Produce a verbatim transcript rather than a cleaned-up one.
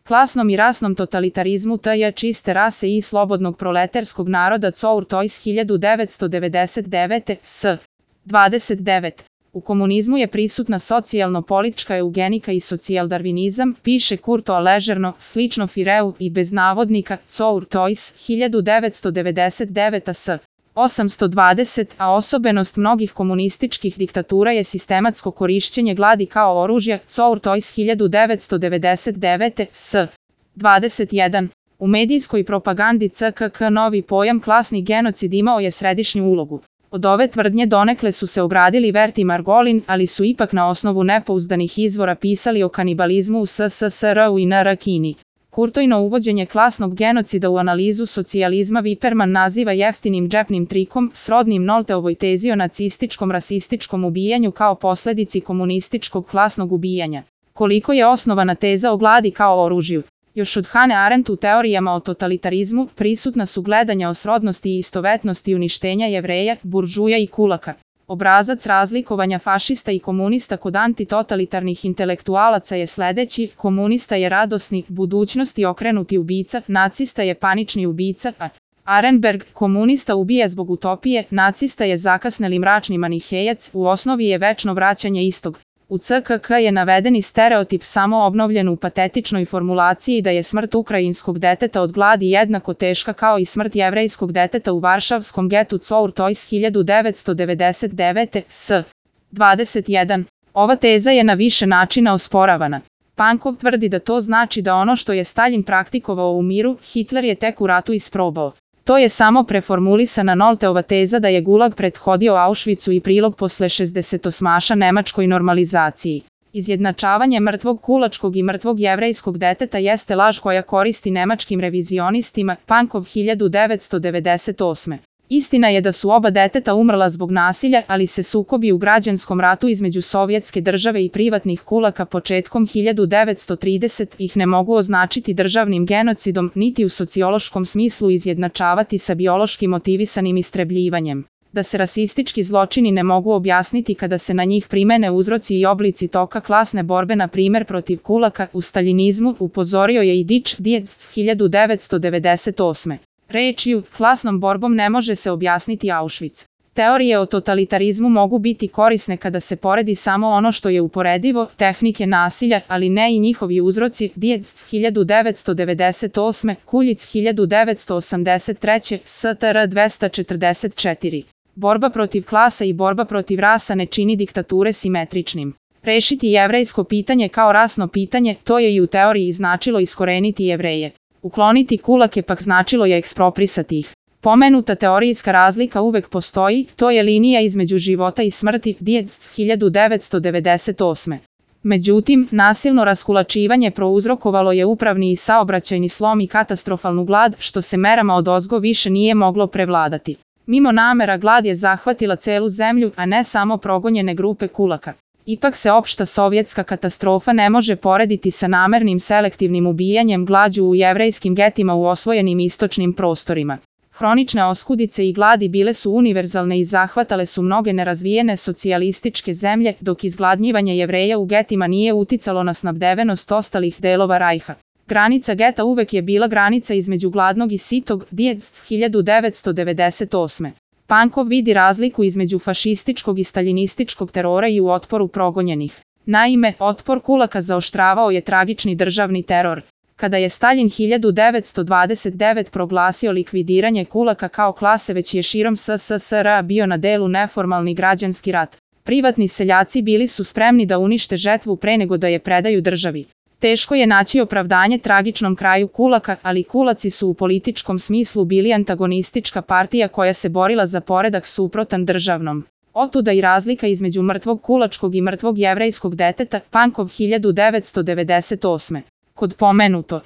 Klasnom i rasnom totalitarizmu T J čiste rase i slobodnog proletarskog naroda Cour Tois hiljadu devetsto devedeset devete. S. dvadeset devet. U komunizmu je prisutna socijalno-politička eugenika i socijaldarvinizam, piše Kurto ležerno, slično Fireu i bez navodnika, Cour Tois hiljadu devetsto devedeset devete. S. osamsto dvadeset, a osobenost mnogih komunističkih diktatura je sistematsko korišćenje gladi kao oružja, Cour Tois hiljadu devetsto devedeset devete. S. dvadeset jedan. U medijskoj propagandi C K K novi pojam klasni genocid imao je središnju ulogu. Od ove tvrdnje donekle su se ogradili Vert i Margolin, ali su ipak na osnovu nepouzdanih izvora pisali o kanibalizmu u S S S R-u i N R Kini. Kurtojno uvođenje klasnog genocida u analizu socijalizma Viperman naziva jeftinim džepnim trikom, srodnim Nolteovoj tezi o nacističkom rasističkom ubijanju kao posledici komunističkog klasnog ubijanja. Koliko je osnovana teza o gladi kao oružju? Još od Hannah Arendt u teorijama o totalitarizmu prisutna su gledanja o srodnosti i istovetnosti uništenja Jevreja, buržuja i kulaka. Obrazac razlikovanja fašista i komunista kod antitotalitarnih intelektualaca je sledeći: komunista je radosni, budućnosti okrenuti ubica, nacista je panični ubica, a Arenberg, komunista ubija zbog utopije, nacista je zakasneli mračni manihejac, u osnovi je večno vraćanje istog. U C K K je navedeni stereotip samo obnovljen u patetičnoj formulaciji da je smrt ukrajinskog deteta od gladi jednako teška kao i smrt jevrejskog deteta u varšavskom getu Cour Tois hiljadu devetsto devedeset devete. S. dvadeset jedan. Ova teza je na više načina osporavana. Pankov tvrdi da to znači da ono što je Staljin praktikovao u miru, Hitler je tek u ratu isprobao. To je samo preformulisana Nolteova teza da je Gulag prethodio Auschwitzu i prilog posle šezdesetosmaša nemačkoj normalizaciji. Izjednačavanje mrtvog kulačkog i mrtvog jevrejskog deteta jeste laž koja koristi nemačkim revizionistima, Pankov hiljadu devetsto devedeset osme. Istina je da su oba deteta umrla zbog nasilja, ali se sukobi u građanskom ratu između sovjetske države i privatnih kulaka početkom hiljadu devetsto tridesetih ne mogu označiti državnim genocidom, niti u sociološkom smislu izjednačavati sa biološki motivisanim istrebljivanjem. Da se rasistički zločini ne mogu objasniti kada se na njih primene uzroci i oblici toka klasne borbe, na primer protiv kulaka, u staljinizmu, upozorio je i Dič Dietz hiljadu devetsto devedeset osme. Rečju, klasnom borbom ne može se objasniti Auschwitz. Teorije o totalitarizmu mogu biti korisne kada se poredi samo ono što je uporedivo, tehnike nasilja, ali ne i njihovi uzroci, Dietz hiljadu devetsto devedeset osme, Kuljic hiljadu devetsto osamdeset treće, S T R dvesta četrdeset četiri. Borba protiv klasa i borba protiv rasa ne čini diktature simetričnim. Rešiti jevrejsko pitanje kao rasno pitanje, to je i u teoriji značilo iskoreniti Jevreje. Ukloniti kulake pak značilo je eksproprisati ih. Pomenuta teorijska razlika uvek postoji, to je linija između života i smrti, Dietz hiljadu devetsto devedeset osme. Međutim, nasilno raskulačivanje prouzrokovalo je upravni i saobraćajni slom i katastrofalnu glad, što se merama odozgo više nije moglo prevladati. Mimo namera glad je zahvatila celu zemlju, a ne samo progonjene grupe kulaka. Ipak se opšta sovjetska katastrofa ne može porediti sa namernim selektivnim ubijanjem glađu u jevrejskim getima u osvojenim istočnim prostorima. Hronične oskudice i gladi bile su univerzalne i zahvatale su mnoge nerazvijene socijalističke zemlje, dok izgladnjivanje Jevreja u getima nije uticalo na snabdevenost ostalih delova Rajha. Granica geta uvek je bila granica između gladnog i sitog, Dietz hiljadu devetsto devedeset osme. Pankov vidi razliku između fašističkog i staljinističkog terora i u otporu progonjenih. Naime, otpor kulaka zaoštravao je tragični državni teror. Kada je Staljin hiljadu devetsto dvadeset devete proglasio likvidiranje kulaka kao klase, već je širom S S S R bio na delu neformalni građanski rat. Privatni seljaci bili su spremni da unište žetvu pre nego da je predaju državi. Teško je naći opravdanje tragičnom kraju kulaka, ali kulaci su u političkom smislu bili antagonistička partija koja se borila za poredak suprotan državnom. Otuda i razlika između mrtvog kulačkog i mrtvog jevrejskog deteta, Pankov hiljadu devetsto devedeset osme. Kod pomenuto